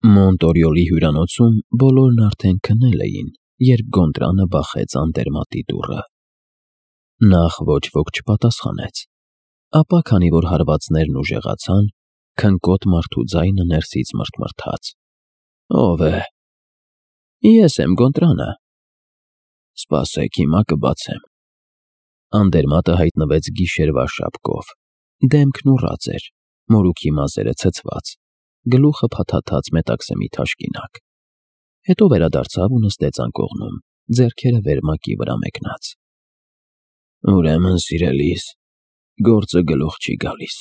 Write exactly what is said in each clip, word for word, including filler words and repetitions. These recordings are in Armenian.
Մոնտորիոլի հյուրանոցում բոլորն արդեն քնել էին, երբ Գոնտրանը բախեց անտերմատի դուռը։ Նախ ոչ ոք չպատասխանեց, ապա քանի որ հարվածներն ուժեղացան, քնկոտ մարդու ձայնը ներսից մռթմռթաց. «Ո՞վ է»։ «Ես եմ, Գոնտրանը»։ «Սպասեք, հիմա կբացեմ»։ Անդերմատը հայտնվեց գիշերվա շապկով, դեմքն ուռած էր, մորուքի մազերը ցցված, գլուխը փաթաթած մետաքսեմի թաշկինակ։ Հետո վերադարձավ ու նստեց անկողնում, ձեռքերը վերմակի վրա մեկնած։ «Ուրեմն, սիրելիս, գործը գլուխ չի գալիս։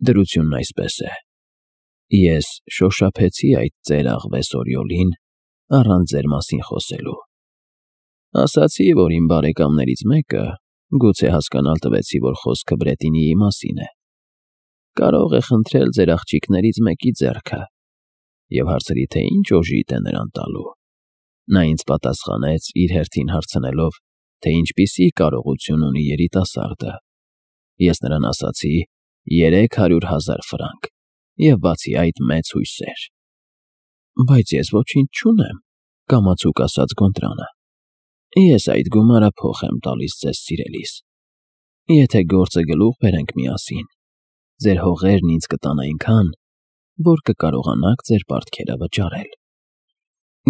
Դրությունն այսպես է. ես շոշափեցի այդ ծեր աղվես Օրիոլին առանց ձեր մասին խոսելու։ Ասացի, որ իմ բարեկամներից մեկը, գուցե հասկանալ տվեցի, որ խոսքը Բրետինիի մասին է, կարող է խնդրել ձեր աղջիկներից մեկի ձեռքը, և հարցրի, թե ինչ օժիտ է նրան տալու։ Նա ինձ պատասխանեց, իր հերթին հարցնելով, թե ինչպիսի կարողություն ունի երիտասարդը։ Ես նրան ասացի երեք հարյուր հազար ֆրանկ և բացի այդ մեծ հույսեր։ Բայց ես ոչինչ չունեմ, կամացուկ ասաց Գոնտրանը։ Ես այդ գումարը փոխ եմ տալիս ձեզ, սիրելիս։ Եթե գործը գլուխ բերենք միասին, ձեր հողերն ինձ կտան այնքան, որ կկարողանաք ձեր պարտքերը վճարել։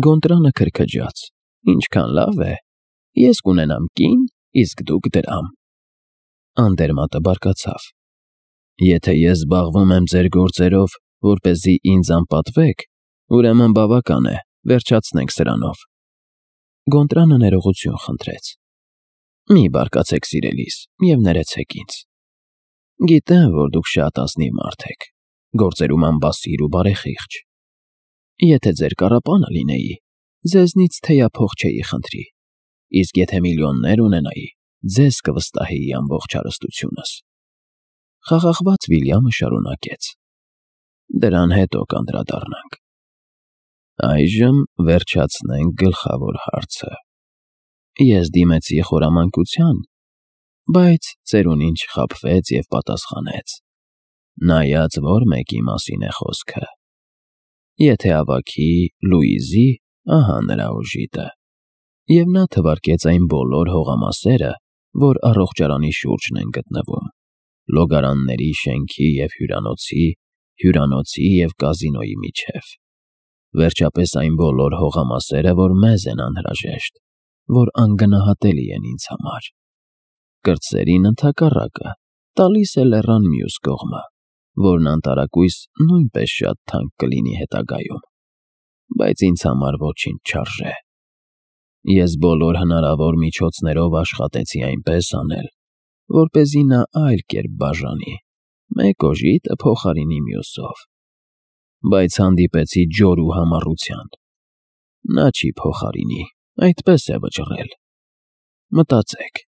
Գոնտրանը քրքջաց. «Ինչքան լավ է, ես կունենամ կին, իսկ դուք դրամ»։ Անդերմատը բարկացավ. «Եթե ես զբաղվում եմ ձեր գործերով, որպեսզի ինձ անպատվեք, ուրեմն բավական է, վերջացնենք սրանով»։ Գոնտրանը ներողություն խնդրեց. «Մի բարկացեք, սիրելիս, և ներեցեք ինձ։ Գիտեմ, որ դուք շատ ազնիվ մարդ եք, գործերում անբասիր ու բարեխիղճ։ Եթե ձեր կառապանը լինեի, ձեզնից թեյափող չէի խնդրի, իսկ եթե միլիոններ ունենայի, ձեզ կվստահեի ամբողջ հարստությունս»։ Խաղաղված Վիլյամը շարունակեց. «Դրան հետո կանդրադառնանք։ Այժմ վերջացնենք գլխավոր հարցը։ Ես դիմեցի խորամանկության, բայց ծերունին չխաբվեց և պատասխանեց, նայած որ մեկի մասին է խոսքը։ Եթե ավագի Լուիզի, ահա նրա օժիտը։ Եվ նա թվարկեց այն բոլոր հողամասերը, որ առողջարանի շուրջն են գտնվում, լոգարանների, շենքի և հյուրանոցի, հյուրանոցի և կազինոյի միջև։ Վերջապես այն բոլոր հողամասերը, որ մեզ են անհրաժեշտ, որ անգնահատելի են ինձ համար։ Կրտսերին ընդհակառակը, տալիս է լեռան մյուս կողմը, որն անտարակույս նույնպես շատ թանկ կլինի հետագայում, բայց ինձ համար ոչինչ չարժե։ Ես բոլոր հնարավոր միջոցներով աշխատեցի այնպես անել, որպեսզի նա այլ կերպ բաժանի, մեկ օժիտը փոխարինի մյուսով։ Բայց հանդիպեցի ջորու համառության։ Նա չի փոխարինի, այդպես է վճռել։ Մտածեք,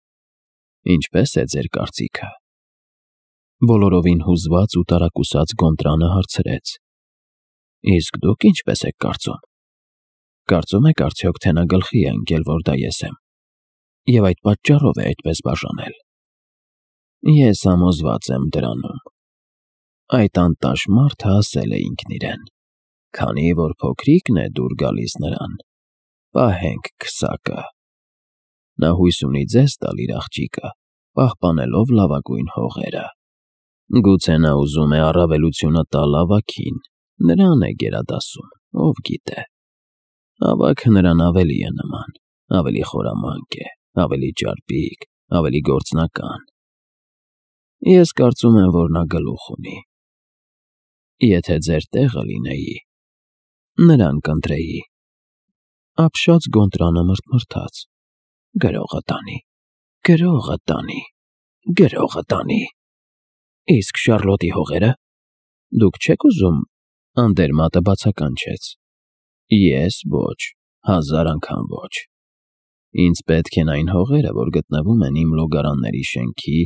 ինչպե՞ս է ձեր կարծիքը»։ Բոլորովին հուզված ու տարակուսած Գոնտրանը հարցրեց. «Իսկ դուք ինչպես եք կարծում։ Կարծում եք արդյոք, թե նա գլխի է ընկել, որ դա ես եմ, և այդ պատճառով է այդպես բաժանել»։ Ես համոզված եմ դրանում։ Այդ անտաշ մարդը ասել է ինքն իրեն. «Քանի որ փոքրիկն է դուր գալիս նրան, պահենք քսակը»։ Նա հույս ունի ձեզ տալ իր աղջիկը, պահպանելով լավագույն հողերը։ Գուցե նա ուզում է առավելությունը տալ ավագին, նրան է գերադասում, ով գիտե։ Ավագը նրան ավելի է նման, ավելի խորամանկ է, ավելի ճարպիկ, ավելի գործնական։ Ես կարծում եմ, որ նա գլուխ ունի։ Եթե ձեր տեղը լինեի, նրան կընտրեի։ Ապշած Գոնտրանը մռթմռթաց. «Գրողը տանի, գրողը տանի, գրողը տանի։ Իսկ Շառլոտի հողերը։ Դուք չեք ուզում»։ Անդերմատը բացականչեց. «Ես ոչ, հազար անգամ ոչ։ Ինձ պետք են այն հողերը, որ գտնվում են իմ լոգարանների շենքի,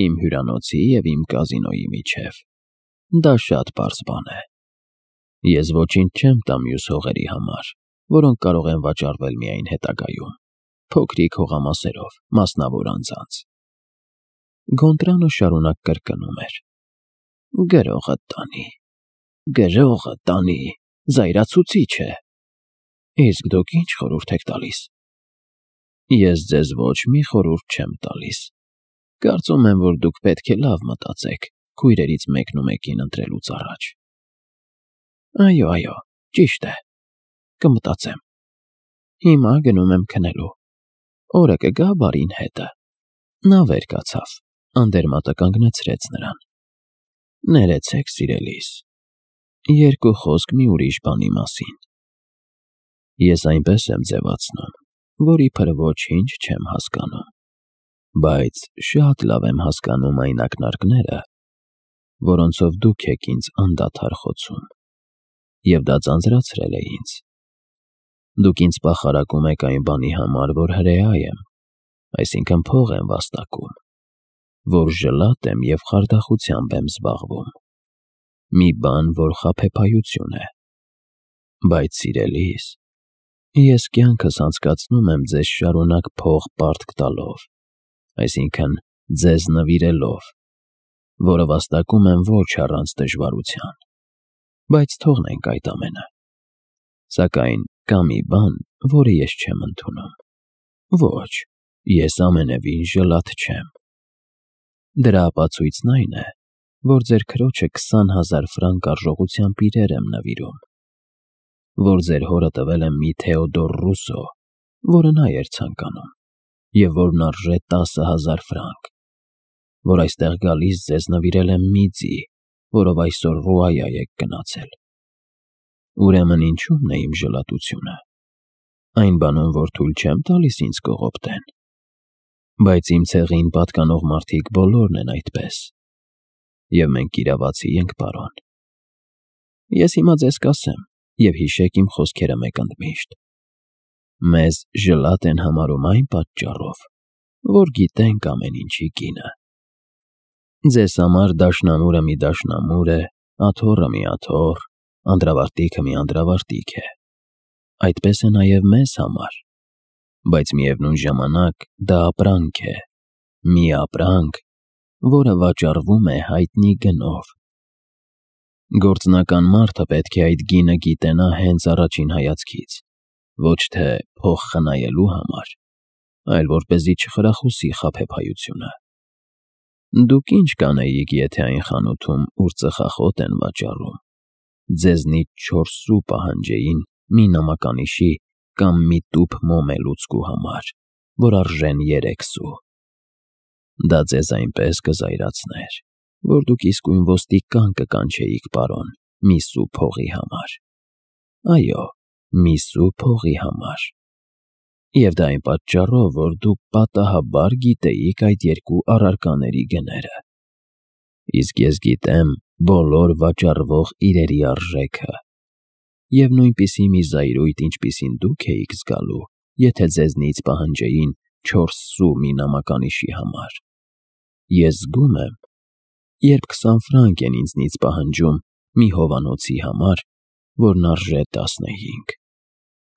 իմ հյուրանոցի և իմ կազինոյի միջև։ Դա շատ պարզ բան է։ Ես ոչինչ չեմ տա մյուս հողերի համար, որոնք կարող են վաճառվել միայն հետագայում, փոքրիկ հողամասերով, մասնավոր անձանց»։ Գոնտրանը շարունակ կրկնում էր. «Գրողը տանի, գրողը տանի»։ զայրացուցիչ է։ Իսկ դուք ինչ խորհուրդ եք տալիս։ Ես ձեզ ոչ մի խորհուրդ չեմ տալիս։ Կարծում եմ, որ դուք պետք է լավ մտածեք քույրերից մեկն ու մեկին ընտրելուց առաջ։ Այո, այո, ճիշտ է, կմտածեմ։ Հիմա գնում եմ քնելու։ Օրը կգա բարին հետը։ Նա վեր կացավ, անդերմատը կանգնեցրեց նրան։ Ներեցեք, սիրելիս, երկու խոսք մի ուրիշ բանի մասին։ Ես այնպես եմ ձևացնում, որ իբր ոչինչ չեմ հասկանում, բայց շատ լավ եմ հասկանում այն ակնարկները, որոնցով դուք եք ինձ անդադար խոցում, և դա ձանձրացրել է ինձ։ Դուք ինձ պախարակում եք այն բանի համար, որ հրեա եմ, այսինքն փող եմ վաստակում, որ ժլատ եմ և խարդախությամբ եմ զբաղվում, մի բան, որ խաբեբայություն է։ Բայց, սիրելիս, ես կյանքս անցկացնում եմ ձեզ շարունակ փող պարտք տալով, այսինքն ձեզ նվիրելով, որը վաստակում եմ ոչ առանց դժվարության, բայց թողնենք այդ ամենը։ Սակայն կա մի բան, որը ես չեմ ընդունում։ Ոչ, ես ամենևին ժլատ չեմ։ Դրա ապացույցն այն է, որ ձեր քրոջը քսան հազար ֆրանկ արժողությամբ իրեր եմ նվիրում, որ ձեր հորը տվել եմ մի Թեոդոր Ռուսո, որը նա էր ցանկանում, և որն արժե տասը հազար ֆրանկ, որ այստեղ գալիս ձեզ նվիրել եմ մի ձի, որով այսօր Ռուայա եք գնացել։ Ուրեմն ինչու՞մն է իմ ժլատությունը։ Այն բանում, որ թույլ չեմ տալիս ինձ կողոպտեն։ Բայց իմ ցեղին պատկանող մարդիկ բոլորն են այդպես, և մենք իրավացի ենք, պարոն։ Ես հիմա ձեզ կասեմ, և հիշեք իմ խոսքերը մեկ ընդմիշտ։ Մեզ ժլատ են համարում այն պատճառով, որ գիտենք ամեն ինչի գինը։ Ձեզ համար դաշնամուրը մի դաշնամուր է, աթոռը մի աթոռ, անդրավարտիքը մի անդրավարտիք է։ Այդպես է նաև մեզ համար, բայց միևնույն ժամանակ դա ապրանք է, մի ապրանք, որը վաճառվում է հայտնի գնով։ Գործնական մարդը պետք է այդ գինը գիտենա հենց առաջին հայացքից, ոչ թե փող խնայելու համար, այլ որպեսզի չխրախուսի խաբեբայությունը։ Դուք ինչ կանեիք, եթե այն խանութում, ուր ծխախոտ են վաճառում, ձեզնից չորս սու պահանջեին մի նամականիշի կամ մի տուփ մոմե լուծկու համար, որ արժեն երեք սու։ Դա ձեզ այնպես կզայրացներ, որ դուք իսկույն ոստիկան կկանչեիք, պարոն, մի սու փողի համար։ Այո, մի սու փողի համար։ Եվ դա այն պատճառով, որ դուք պատահաբար գիտեիք այդ երկու առարկաների գները։ Իսկ ես գիտեմ բոլոր վաճառվող իրերի արժեքը, և նույնպիսի մի զայրույթ, ինչպիսին դուք էիք զգալու, եթե ձեզնից պահանջեին չորս սու մի նամականիշի համար, ես զգում եմ, երբ քսան ֆրանկ են ինձնից պահանջում մի հովանոցի համար, որն արժե տասնհինգ։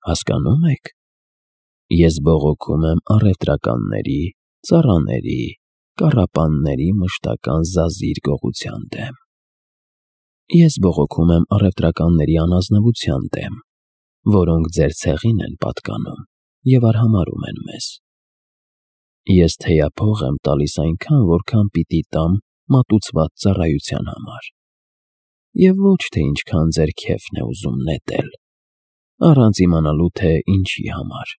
Հասկանո՞ւմ եք։ Ես բողոքում եմ առևտրականների, ծառաների, կառապանների մշտական զազիր գողության դեմ։ Ես բողոքում եմ առևտրականների անազնվության դեմ, որոնք ձեր ցեղին են պատկանում և արհամարհում են մեզ։ Ես թեյափող եմ տալիս այնքան, որքան պիտի տամ մատուցված ծառայության համար, և ոչ թե ինչքան ձեր քեֆն է ուզում նետել, առանց իմանալու, թե ինչի համար,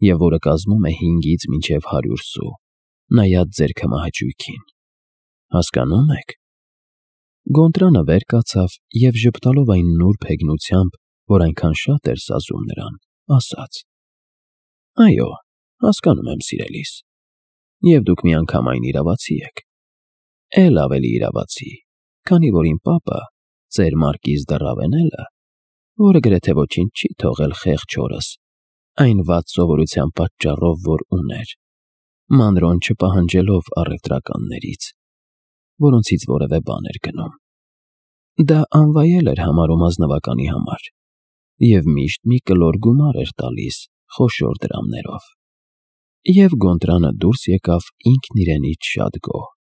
և որը կազմում է հինգից մինչև հարյուր սու, նայած ձեր քմահաճույքին։ Հասկանո՞ւմ եք։ Գոնտրանը վեր կացավ և ժպտալով այն նուրբ հեգնությամբ, որ այնքան շատ էր սազում նրան, ասաց. Այո, հասկանում եմ, սիրելիս, և դուք միանգամայն իրավացի եք, էլ ավելի իրավացի, քանի որ իմ պապը, ծեր Մարկիզ դը Ռավենելը, որը գրեթե ոչինչ չի թողել խեղճ հորս, այն վատ սովորության պատճառով, որ ուներ, մանրոն չպահանջելով առևտրականներից, որոնցից որևէ բան էր գնում, դա անվայել էր համարում ազնվականի համար, և միշտ մի կլոր գումար էր տալիս խոշոր դրամներով։ Եվ Գոնտրանը դուրս եկավ ինքն իրենից շատ գոհ։